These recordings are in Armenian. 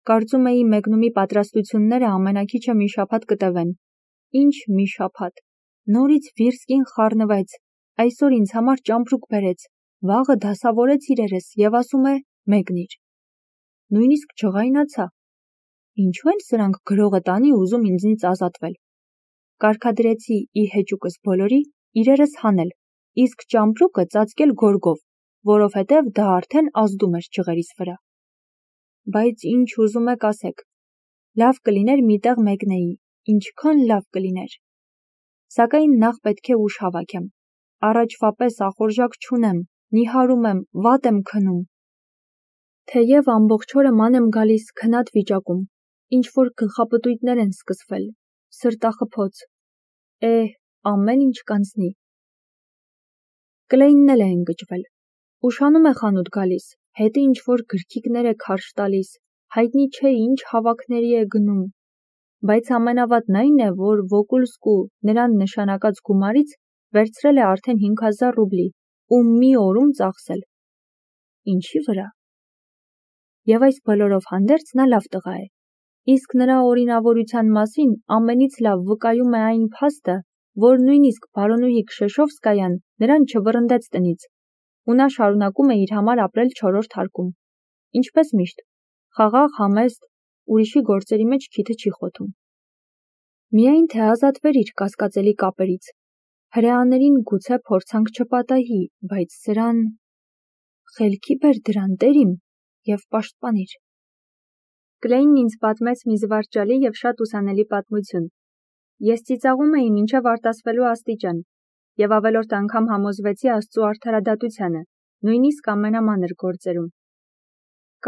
Կարծում էի մեկնումի պատրաստությունները ամենաքիչը մի շաբաթ կտևեն։ Ինչ մի շաբաթ։ Նորից Վիրսկին խառնվեց, այսօր ինձ համար ճամպրուկ բերեց, վաղը դասավորեց իրերս և ասում է մեկնիր։ Նույնիսկ չղայնացա։ Ինչու են սրանք գրողը տանի ուզում ինձնից ազատվել։ Կարգադրեցի ի հեճուկս բոլորի իրերս հանել, իսկ ճամպրուկը ծածկել գորգով, որովհետև դա արդեն ազդում էր ջղերիս վրա։ Բայց ինչ ուզում եք ասեք, լավ կլիներ մի տեղ մեկնեի, ինչքան լավ կլիներ։ Սակայն նախ պետք է ուժ հավաքեմ, առաջվա պես ախորժակ չունեմ, նիհարում եմ, վատ եմ քնում։ Թեև ամբողջ օրը ման եմ գալիս քնած վիճակում, ինչ-որ գլխապտույտներ են սկսվել, սրտախփոց, ամեն ինչ կանցնի։ Կլեյնն էլ է ընկճվել, ուշանում է խանութ գալիս, հետը ինչ-որ գրքիկներ է քարշ տալիս, հայտնի չէ ինչ հավաքների է գնում, բայց ամենավատն այն է, որ Վոկուլսկու նրան նշանակած գումարից վերցրել է արդեն 5000 ռուբլի ու մի օրում ծախսել։ Ինչի վրա։ Եվ այս բոլորով հանդերձ նա լավ տղա է, իսկ նրա օրինավորության մասին ամենից լավ վկայում է այն փաստը, որ նույնիսկ բարոնուհի Քշեշովսկայան նրան չվռնդեց տնից, ու նա շարունակում է իր համար ապրել 4-րդ հարկում։ Ինչպես միշտ, խաղաղ, համեստ, ուրիշի գործերի մեջ քիթը չի խոթում։ Միայն թե ազատվեր իր կասկածելի կապերից։ Հրեաներին գուցե փորձանք չպատահի, բայց սրան… Խելքի բեր դրան տերիմ և պաշտպանիր։ Կլեյնն ինձ պատմեց մի զվարճալի և շատ ուսանելի պատմություն։ Ես ծիծաղում էի մինչև արտասվելու աստիճան և ավելորդ անգամ համոզվեցի Աստծու արդարադատությանը, նույնիսկ ամենամանր գործերում։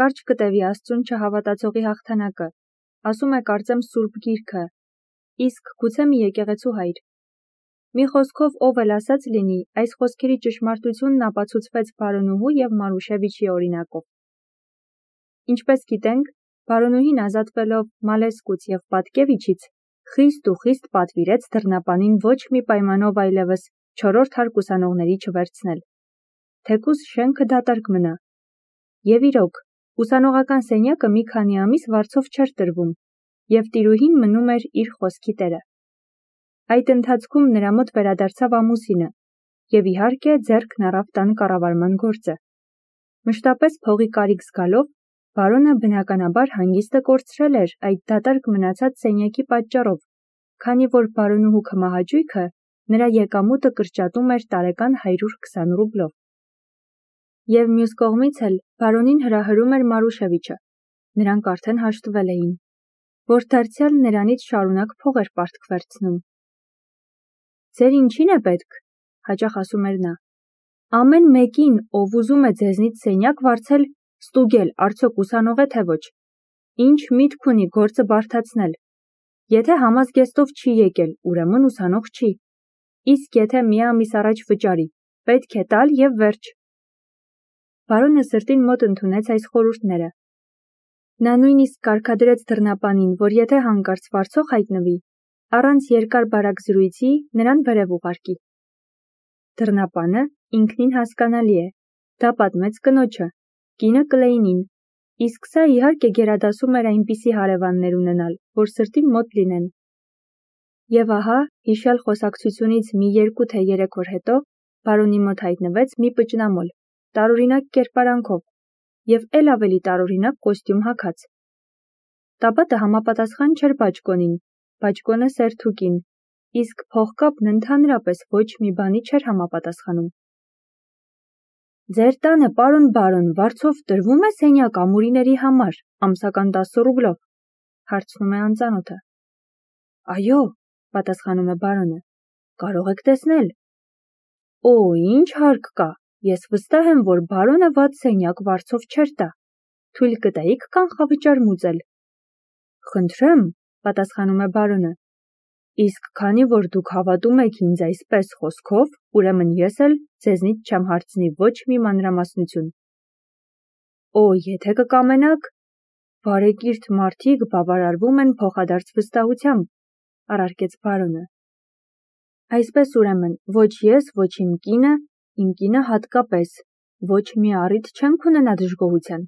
Կարճ կտևի Աստծուն չհավատացողի հաղթանակը, ասում է կարծեմ Սուրբ Գիրքը, իսկ գուցե մի եկեղեցու հայր։ Մի խոսքով ով էլ ասած լինի, այս խոսքերի ճշմարտությունն ապացուցվեց բարոնուհու և Մարուշևիչի օրինակով։ Ինչպես գիտենք, բարոնուհին ազատվելով Մալեսկուց և Պատկևիչից, խիստ ու խիստ պատվիրեց դռնապանին ոչ մի պայմանով այլևս 4-րդ հարկ ուսանողների չվերցնել, թեկուզ շենքը դատարկ մնա։ Եվ իրոք, ուսանողական սենյակը մի քանի ամիս վարձով չէր տրվում, և տիրուհին մնում էր իր խոսքի տերը։ Այդ ընթացքում նրա մոտ վերադարձավ ամուսինը, և իհարկե ձեռքն առավ տան կառավարման գործը։ Մշտապես փողի կարիք զգալով, բարոնը բնականաբար հանգիստը կորցրել էր այդ դատարկ մնացած սենյակի պատճառով, քանի որ բարոնուհու քմահաճույքը նրա եկամուտը կրճատում էր տարեկան 120 ռուբլով։ Եվ մյուս կողմից էլ բարոնին հրահրում էր Մարուշևիչը, նրանք արդեն հաշտվել էին, որ դարձյալ նրանից շարունակ փող էր պարտք վերցնում։ Ձեր ինչին է պետք, հաճախ ասում էր նա։ Ամեն մեկին, ով ուզում է ձեզնից սենյակ վարձել, ստուգել, արդյոք ուսանող է թե ոչ։ Ինչ միտք ունի գործը բարդացնել։ Եթե համազգեստով չի եկել, ուրեմն ուսանող չի։ Իսկ եթե մի ամիս առաջ վճարի, պետք է տալ և վերջ։ Բարոնը սրտին մոտ ընդունեց այս խորհուրդները։ Նա նույնիսկ կարգադրեց դռնապանին, որ եթե հանկարծ վարձող հայտնվի, առանց երկար-բարակ զրույցի նրան վերև ուղարկի։ Դռնապանը ինքնին հասկանալի է, դա պատմեց կնոջը, կինը Կլեյնին, իսկ սա իհարկե գերադասում էր այնպիսի հարևաններ ունենալ, որ սրտին մոտ լինեն։ Եվ ահա, հիշյալ խոսակցությունից մի 2 թե 3 օր հետո, բարոնի մոտ հայտնվեց մի պճնամոլ, տարօրինակ կերպարանքով, և էլ ավելի տարօրինակ կոստյում հագած։ Տաբատը համապատասխան չէր բաճկոնին, բաճկոնը սերթուկին, իսկ փողկապն ընդհանրապես ոչ մի բանի չէր համապատասխանում։ Ձեր տանը, պարոն բարոն, վարձով տրվում է սենյակ ամուրիների համար, ամսական 10 ռուբլով, հարցնում է անծանոթը։ Այո, պատասխանում է բարոնը, կարող եք տեսնել։ Օ, ինչ հարկ կա, ես վստահ եմ, որ բարոնը վատ սենյակ վարձով չէր տա։ Թույլ կտայիք կանխավճար մուծել։ Խնդրեմ, պատասխանում է բարոնը, իսկ քանի որ դուք հավատում եք ինձ այսպես խոսքով, ուրեմն ես էլ ձեզնից չեմ հարցնի ոչ մի մանրամասնություն։ Օ, եթե կկամենաք, բարեկիրթ մարդիկ բավարարվում են փոխադարձ վստահությամբ, առարկեց բարոնը։ Այսպես ուրեմն, ոչ ես, ոչ իմ կինը հատկապես, ոչ մի առիթ չենք ունենա դժգոհության։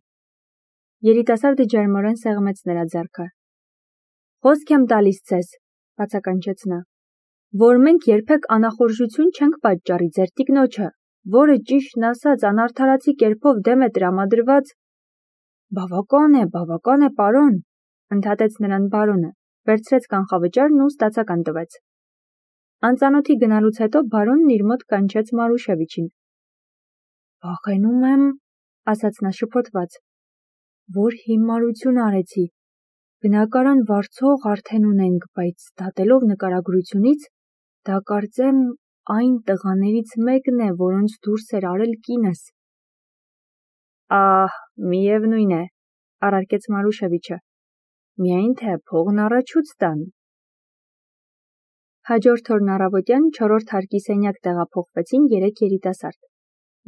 Երիտասարդը ջերմորեն սեղմեց նրա ձեռքը։ Խոսք եմ տալիս ձեզ, բացականչեց նա, որ մենք երբեք անախորժություն չենք պատճառի ձեր տիկնոջը, որը ճիշտն ասած անարդարացի կերպով դեմ է տրամադրված։ Բավական է, պարոն, ընդհատեց նրան բարոնը, վերցրեց կանխավճարն ու ստացական տվեց։ Անծանոթի գնալուց հետո բարոնն իր մոտ կանչեց Մարուշևիչին։ Վախենում եմ, ասաց նա շփոթված, որ հիմարություն արեցի։ Բնակարան վարձող արդեն ունենք, բայց դատելով նկարագրությունից, դա կարծեմ այն տղաներից մեկն է, որոնց դուրս էր արել կինս։ Ահ, միևնույն է, առարկեց Մարուշևիչը, միայն թե փողն առաջուց տան։ Հաջորդ օրն առավոտյան 4-րդ հարկի սենյակ տեղափոխվեցին 3 երիտասարդ,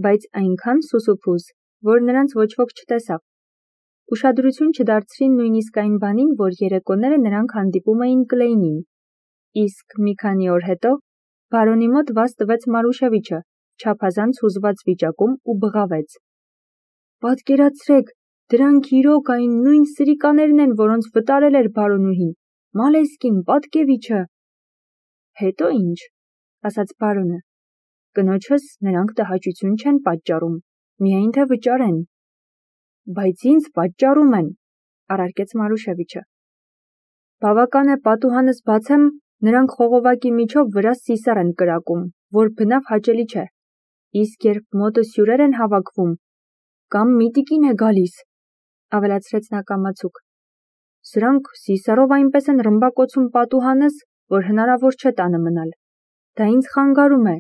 բայց այնքան սուսուփուզ, որ նրանց ոչ ոք չտեսավ։ Ուշադրություն չդարձրին նույնիսկ այն բանին, որ երեկոները նրանք հանդիպում էին Կլեյնին։ Իսկ մի քանի օր հետո բարոնի մոտ վազ տվեց Մարուշևիչը, չափազանց հուզված վիճակում ու բղավեց. Պատկերացրեք, դրանք իրոք այն նույն սրիկաներն են, որոնց վտարել էր բարոնուհին, Մալեսկին, Պատկևիչը։ Հետո ինչ, ասաց բարոնը, կնոջս նրանք տհաճություն չեն պատճառում, միայն թե վճարեն։ Բայց ինձ պատճառում են, առարկեց Մարուշևիչը։ Բավական է պատուհանս բացեմ, նրանք խողովակի միջով վրաս սիսար են կրակում, որ բնավ հաճելի չէ։ Իսկ երբ մոտս հյուրեր են հավաքվում, կամ միտիկին է գալիս, ավելացրեց նա կամացուկ։ Սրանք սիսարով այնպես են ռմբակոծում պատուհանս, որ հնարավոր չէ տանը մնալ։ Դա ինձ խանգարում է,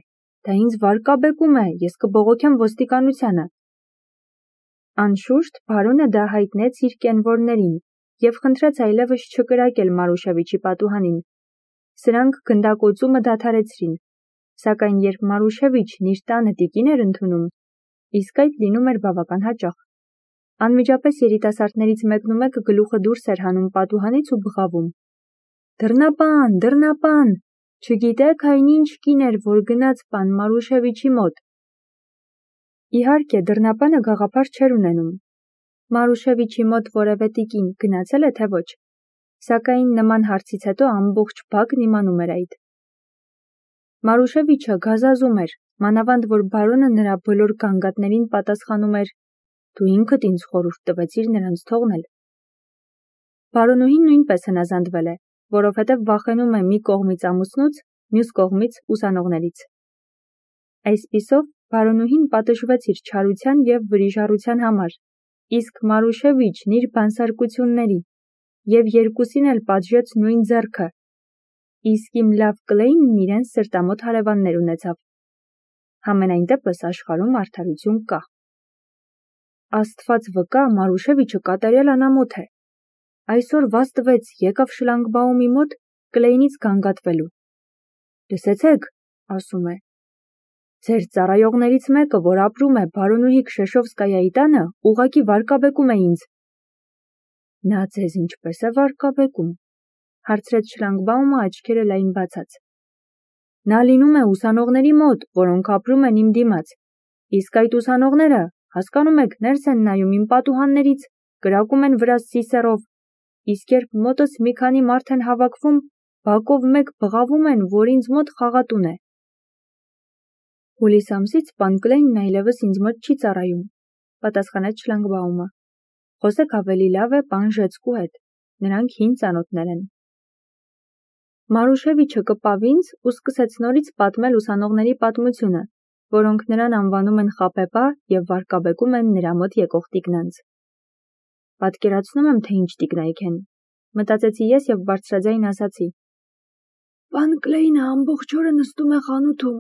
դա ինձ վարկաբեկում է, ես կբողոքեմ ոստիկանությանը։ Անշուշտ բարոնը դա հայտնեց իր կենվորներին և խնդրեց այլևս չկրակել Մարուշևիչի պատուհանին։ Սրանք գնդակոծումը դադարեցրին, սակայն երբ Մարուշևիչն իր տանը տիկին էր ընդունում, իսկ այդ լինում էր բավական հաճախ, անմիջապես երիտասարդներից մեկնումեկը գլուխը դուրս էր հանում պատուհանից ու բղավում. Դռնապան, չգիտեք այն ինչ կին էր, որ գնաց պան Մարուշևիչի մոտ։ Իհարկե, դռնապանը գաղափար չէր ունենում։ Մարուշևիչի մոտ որևէ տիկին գնացել է, թե ոչ, սակայն նման հարցից հետո ամբողջ բակն իմանում էր այդ։ Մարուշևիչը գազազում էր, մանավանդ որ բարոնը նրա բոլոր գանգատներին պատասխանում էր. Դու ինքդ ինձ խորհուրդ տվեցիր նրանց թողնել։ Բարոնուհին նույնպես հնազանդվել է, որովհետև վախենում է մի կողմից ամուսնուց, մյուս կողմից ուսանողներից։ Այսպիսով, բարոնուհին պատժվեց իր չարության և վրիժառության համար, իսկ Մարուշևիչն իր բանսարկությունների, և երկուսին էլ պատժեց նույն ձեռքը, իսկ իմ լավ Կլեյնն իրեն սրտամոտ հարևաններ ունեցավ։ Համենայն դեպս աշխարհում արդարություն կա։ Աստված վկա, Մարուշևիչը կատարյալ անամոթ է։ Այսօր վազ տվեց, եկավ շլանգբաումի մոտ Կլեյնից գանգատվելու։ Լսեցեք, ասում է, ձեր ծառայողներից մեկը, որ ապրում է բարոնուհի Քշեշովսկայայի տանը, ուղղակի վարկաբեկում է ինձ։ Նա ձեզ ինչպես է վարկաբեկում, հարցրեց շլանգբաումը աչքերը լայն բացած։ Նա լինում է ուսանողների մոտ, որոնք ապրում են իմ դիմաց, իսկ այդ ուսանողները, հասկանում եք, ներս են նայում իմ պատուհաններից, կրակում են վրաս սիսեռով, իսկ երբ մոտս մի քանի մարդ են հավաքվում, բակով մեկ բղավում են, որ ինձ մոտ խաղատուն է։ Հուլիս ամսից պան Կլեյնն այլևս ինձ մոտ չի ծառայում, պատասխանեց շլանգբաումը։ Խոսեք ավելի լավ է պան Ժեցկու հետ, նրանք հին ծանոթներ են։ Մարուշևիչը կպավ ինձ ու սկսեց նորից պատմել ուսանողների պատմությունը, որոնք նրան անվանում են խաբեբա և վարկաբեկում են նրա մոտ եկող տիկնանց։ Պատկերացնում եմ, թե ինչ տիկնայք են, մտածեցի ես և բարձրաձայն ասացի. Պան Կլեյնը ամբողջ օրը նստում է խանութում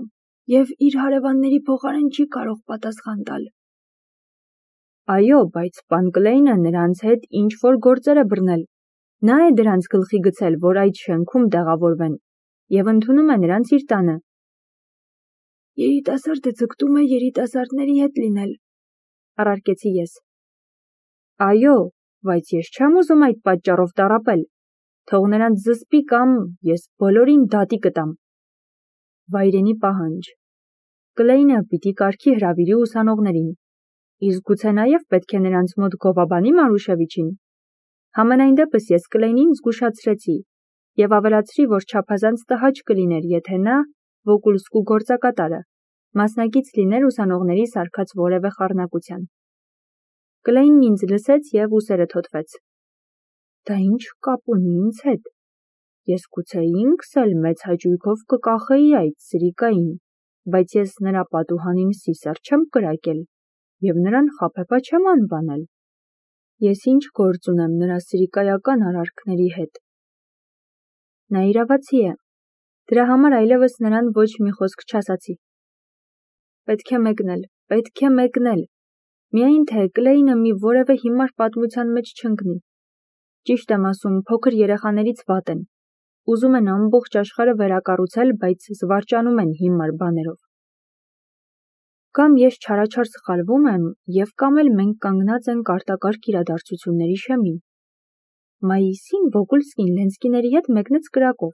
և իր հարևանների փոխարեն չի կարող պատասխան տալ։ Այո, բայց պան Կլեյնը նրանց հետ ինչ-որ գործեր է բռնել։ Նա է դրանց գլխի գցել, որ այդ շենքում տեղավորվեն, և ընդունում է նրանց իր տանը։ Երիտասարդը ձգտում է երիտասարդների հետ լինել, առարկեցի ես։ Այո, բայց ես չեմ ուզում այդ պատճառով տառապել։ Թող նրանց զսպի կամ ես բոլորին դատի կտամ։ Վայրենի պահանջ։ Կլեյնը պիտի կարգի հրավիրի ուսանողներին։ Իսկ գուցե նաև պետք է նրանց մոտ գովաբանի Մարուշևիչին։ Համենայն դեպս ես Կլեյնին զգուշացրեցի եւ ավելացրի, որ չափազանց տհաճ կլիներ, եթե նա, Վոկուլսկու գործակատարը, մասնակից լիներ ուսանողների սարքած որևէ խառնակության։ Կլեյնն ինձ լսեց եւ ուսերը թոթվեց։ Դա ինչ կապ ունի ինձ հետ։ Ես գուցե ինքս էլ մեծ հաճույքով կկախեի այդ սրիկային, բայց ես նրա պատուհանին սիսեռ չեմ կրակել եւ նրան խաբեբա չեմ անվանել։ Ես ինչ գործ ունեմ նրա սրիկայական արարքների հետ։ Նա իրավացի է։ Դրա համար այլևս նրան ոչ մի խոսք չասացի։ Պետք է մեկնել։ Միայն թե Կլեյնը մի որևէ հիմար պատմության մեջ չընկնի։ Ճիշտ եմ ասում, փոքր երեխաներից վատ են։ Ուզում են ամբողջ աշխարհը վերակառուցել, բայց զվարճանում են հիմար բաներով։ Կամ ես չարաչար սխալվում եմ, եւ կամ էլ մենք կանգնած ենք արտակարգ իրադարձությունների շեմին։ Մայիսին Վոկուլսկին Լենսկիների հետ մեկնեց կրակով։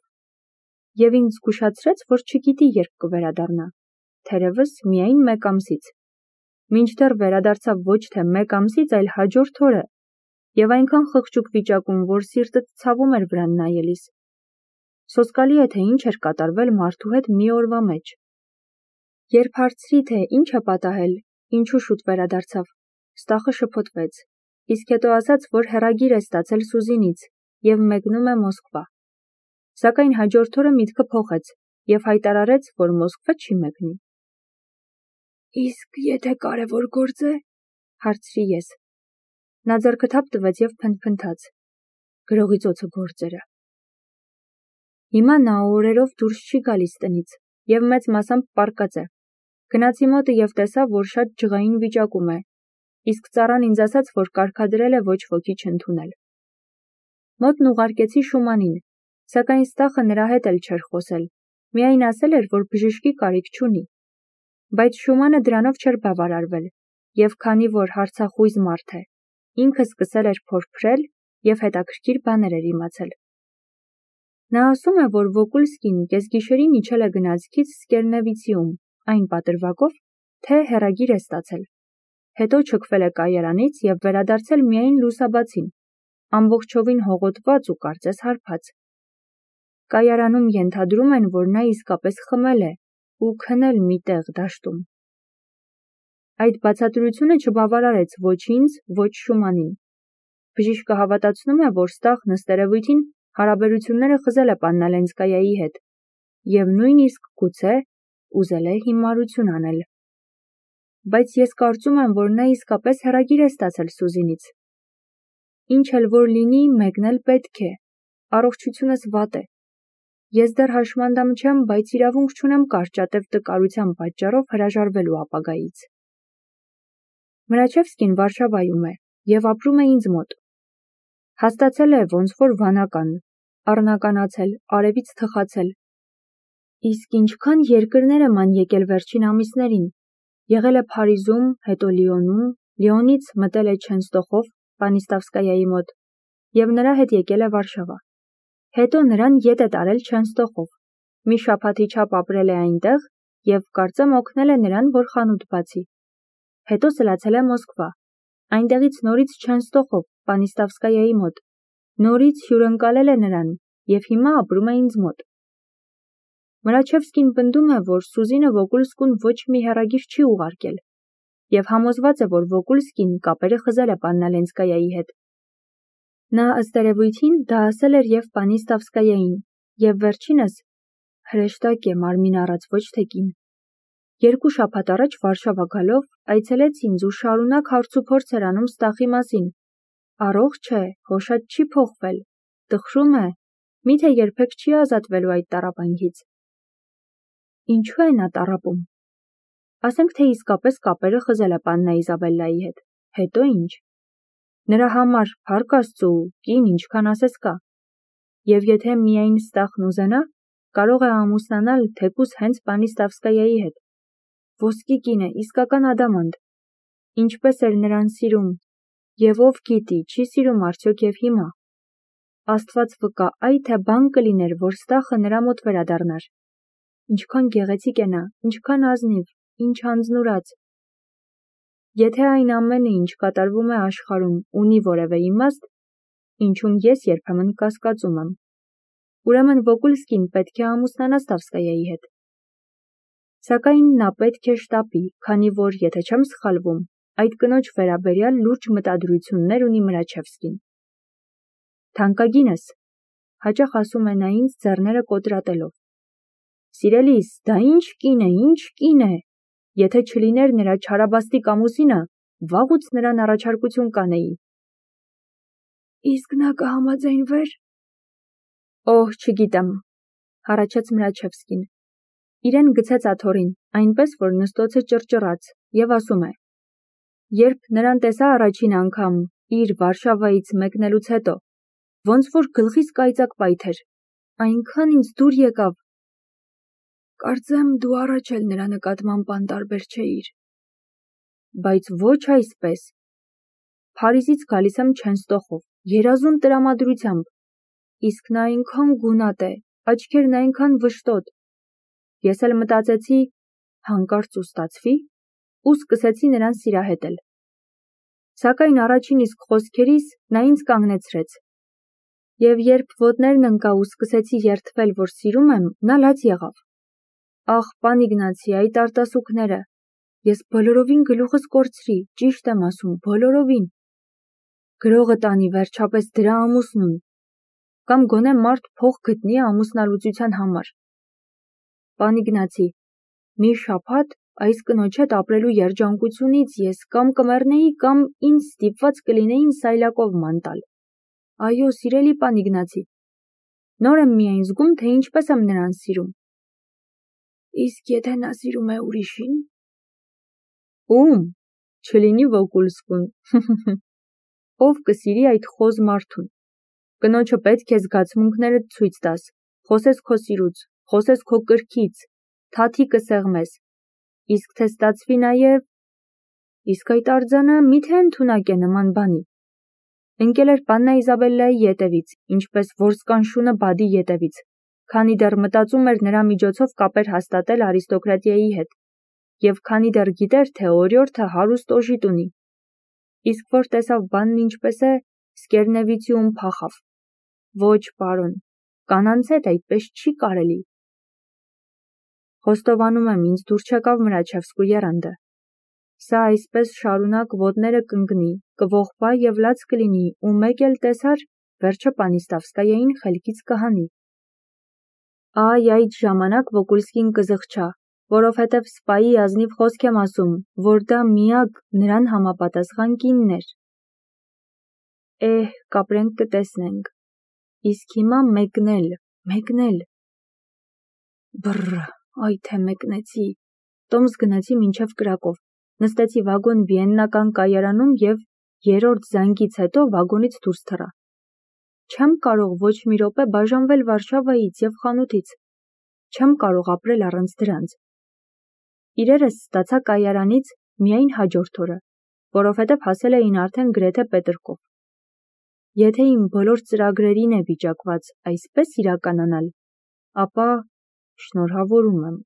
Եվ ինձ զգուշացրեց, որ չգիտի երբ կվերադառնա, թերևս միայն մեկ ամսից։ Մինչդեռ վերադարձավ ոչ թե մեկ ամսից, այլ հաջորդ օրը, եւ այնքան խղճուկ վիճակում, որ սիրտդ ցավում էր վրան նայելիս։ Սոսկալի է, թե ինչ էր կատարվել մարդու հետ մի օրվա մեջ։ Երբ հարցրի, թե ինչ է պատահել, ինչու շուտ վերադարձավ, Ստախը շփոթվեց, իսկ հետո ասաց, որ հեռագիր է ստացել Սուզինից եւ մեկնում է Մոսկվա։ Սակայն հաջորդ օրը միտքը փոխեց եւ հայտարարեց, որ Մոսկվա չի մեկնի։ Իսկ եթե կարևոր գործ է, հարցրի ես։ Նա ձեռքը թափ տվեց եւ փնթփնթաց։ Գրողի ծոցը գործերը։ Հիմա նա օրերով դուրս չի գալիս տնից եւ մեծ մասամբ պառկած է։ Գնացի մոտը եւ տեսա, որ շատ ջղային վիճակում է, իսկ ծառան ինձ ասաց, որ կարգադրել է ոչ ոքի չընդունել։ Մոտն ուղարկեցի Շումանին, սակայն Ստախը նրա հետ էլ չէր խոսել, միայն ասել էր, որ բժշկի կարիք չունի։ Բայց Շումանը դրանով չէր բավարարվել, եւ քանի որ հարցախույզ մարդ է, ինքը սկսել էր փորփրել եւ հետաքրքիր բաներ էր իմացել։ Նա ասում է, որ Վոկուլսկին կեսգիշերին իջել է գնացքից Սկերնևիցիում, այն պատրվակով, թե հեռագիր է ստացել։ Հետո չքվել է կայարանից եւ վերադարձել միայն լուսաբացին, ամբողջովին հողոտված ու կարծես հարբած։ Կայարանում ենթադրում են, որ նա իսկապես խմել է ու քնել մի տեղ դաշտում։ Այդ բացատրությունը չբավարարեց ոչ ինձ, ոչ Շումանին։ Բժիշկը հավատացնում է, որ Ստախն ըստ երևույթին հարաբերությունները խզել է Պաննա Լենսկայայի հետ եւ նույնիսկ գուցե ուզել է հիմարություն անել։ Բայց ես կարծում եմ, որ նա իսկապես հեռագիր է ստացել Սուզինից։ Ինչ էլ որ լինի, մեկնել պետք է։ Առողջությունս վատ է։ Ես դեռ հաշմանդամ չեմ, բայց իրավունք չունեմ կարճատև տկարության պատճառով հրաժարվելու ապագայից։ Մրաչևսկին Վարշավայում է եւ ապրում է ինձ մոտ։ Հաստացել է ոնց որ վանական, առնականացել, արևից թխացել։ Իսկ ինչքան երկրներ եմ եկել վերջին ամիսներին։ Եղել է Փարիզում, հետո Լիոնում, Լիոնից մտել է Չենստոխով, Պանիստավսկայայի մոտ, եւ նրա հետ եկել է Վարշավա։ Հետո նրան ետ է տարել Չենստոխով։ Մի շաբաթի չափ ապրել է այնտեղ եւ կարծեմ օգնել է նրան, որ խանութ բացի։ Հետո սլացել է Մոսկվա։ Այնտեղից նորից Չենստոխով, Պանիստավսկայայի մոտ։ Նորից հյուրընկալել է նրան եւ հիմա ապրում է ինձ մոտ։ Մրաչևսկին պնդում է, որ Սուզինը Վոկուլսկուն ոչ մի հեռագիր չի ուղարկել եւ համոզված է, որ Վոկուլսկին կապերը խզել է Պաննա Լենսկայայի հետ։ Նա ըստ երևույթին դա ասել էր եւ Պանիստավսկայային, եւ վերջինս հրեշտակ է մարմին առած ոչ թե կին։ 2 շաբաթ առաջ Վարշավա գալով այցելեց ինձ ու շարունակ հարցուփորձ էր անում Ստախի մասին։ Առողջ է, հոշատ չի փոխվել, տխրում է, միթե երբեք չի ազատվելու այդ տառապանքից։ Ինչու է նա տառապում։ Ասենք թե իսկապես կապերը խզել է Պաննա Իզաբելլայի հետ, հետո ինչ։ Նրա համար, փառք Աստծո, կին ինչքան ասես կա։ Եվ եթե միայն Ստախն ուզենա, կարող է ամուսնանալ թեկուզ հենց Պանիստավսկայայի հետ։ Ոսկի կին է, իսկական ադամանտ։ Ինչպես էր նրան սիրում, եւ ով գիտի, չի սիրում արդյոք եւ հիմա։ Աստված վկա, այ թե բան կլիներ, որ Ստախը նրա մոտ վերադառնար։ Ինչքան գեղեցիկ է նա, ինչքան ազնիվ, ինչ անձնուրաց։ Եթե այն ամենը, ինչ կատարվում է աշխարհում, ունի որևէ իմաստ, ինչուն ես երբեմն կասկածում եմ, ուրեմն Վոկուլսկին պետք է ամուսնանա Ստավսկայայի հետ։ Սակայն նա պետք է շտապի, քանի որ, եթե չեմ սխալվում, այդ կնոջ վերաբերյալ լուրջ մտադրություններ ունի Մրաչևսկին։ Թանկագինս, հաճախ ասում է նա ինձ ձեռները կոտրատելով։ Սիրելիս, դա ինչ կին է, եթե չլիներ նրա չարաբաստիկ ամուսինը, վաղուց նրան առաջարկություն կանեի։ Իսկ նա կհամաձայնվեր։ Օհ, չգիտեմ, հառաչեց Մրաչևսկին։ Իրեն գցեց աթոռին, այնպես, որ նստոցը ճռճռաց, և ասում է. Երբ նրան տեսա առաջին անգամ, իր Վարշավայից մեկնելուց հետո, ոնց որ գլխիս կայծակ պայթեր, այնքան ինձ դուր եկավ։ Կարծեմ դու առաջ էլ նրա նկատմամբ անտարբեր չէիր։ Բայց ոչ այսպես։ Փարիզից գալիս եմ Չենստոխով, երազուն տրամադրությամբ, իսկ նա այնքան գունատ է, աչքերն այնքան վշտոտ։ Ես էլ մտածեցի, հանկարծ ու ստացվի, ու սկսեցի նրան սիրահետել։ Սակայն առաջին իսկ խոսքերիս նա ինձ կանգնեցրեց։ Եվ երբ ոտներն ընկա ու սկսեցի երդվել, որ սիրում եմ, նա լաց եղավ։ Ախ, պան Իգնացի, այդ արտասուքները, ես բոլորովին գլուխս կորցրի, ճիշտ եմ ասում, բոլորովին։ Գրողը տանի վերջապես դրա ամուսնուն, կամ գոնե մարդ փող գտնի ամուսնալուծության համար։ Պան Իգնացի, մի շաբաթ այս կնոջ հետ ապրելու երջանկությունից ես կամ կմեռնեի, կամ ինձ ստիպված կլինեին սայլակով ման տալ։ Այո, սիրելի պան Իգնացի, նոր եմ միայն զգում, թե ինչպես եմ նրան սիրում։ Իսկ եթե նա սիրում է ուրիշին։ Ում, չլինի Վոկուլսկուն։ Ով կսիրի այդ խոզ մարդուն։ Կնոջը պետք է զգացմունքներդ ցույց տաս, խոսես քո սիրուց, խոսես քո կրքից, թաթի կսեղմես, իսկ թե ստացվի նաև, իսկ այդ արձանը միթե ընդունակ է նման բանի։ Ընկել էր Պաննա Իզաբելլայի ետևից, ինչպես որսկան շունը բադի ետևից, քանի դեռ մտածում էր նրա միջոցով կապեր հաստատել արիստոկրատիայի հետ, և քանի դեռ գիտեր, թե օրիորդը հարուստ օժիտ ունի, իսկ որ տեսավ բանն ինչպես է, Սկերնևիցիում փախավ։ Ոչ, պարոն, կանանց հետ այդպես չի կարելի։ Խոստովանում եմ, ինձ դուր չեկավ Մրաչևսկու եռանդը։ Սա այսպես շարունակ ոտները կընկնի, կողբա և լաց կլինի, ու մեկ էլ տեսար, վերջը պանի Ստավսկայային խելքից կհանի։ Այ այդ ժամանակ Վոկուլսկին կզղջա, որովհետև սպայի ազնիվ խոսք եմ ասում, որ դա միակ նրան համապատասխան կինն էր։ Կապրենք կտեսնենք։ Իսկ հիմա մեկնել։ Բռ, այ թե մեկնեցի, տոմս գնացի մինչև Կրակով, նստեցի վագոն Վիեննական կայարանում և երրորդ զանգից հետո վագոնից դուրս թռա։ Չեմ կարող ոչ մի րոպե բաժանվել Վարշավայից և խանութից, չեմ կարող ապրել առանց դրանց։ Իրերս ստացա կայարանից միայն հաջորդ օրը, որովհետև հասել էին արդեն գրեթե Պետրկով։ Եթե իմ բոլոր ծրագրերին է վիճակված այսպես իրականանալ, ապա շնորհավորում եմ։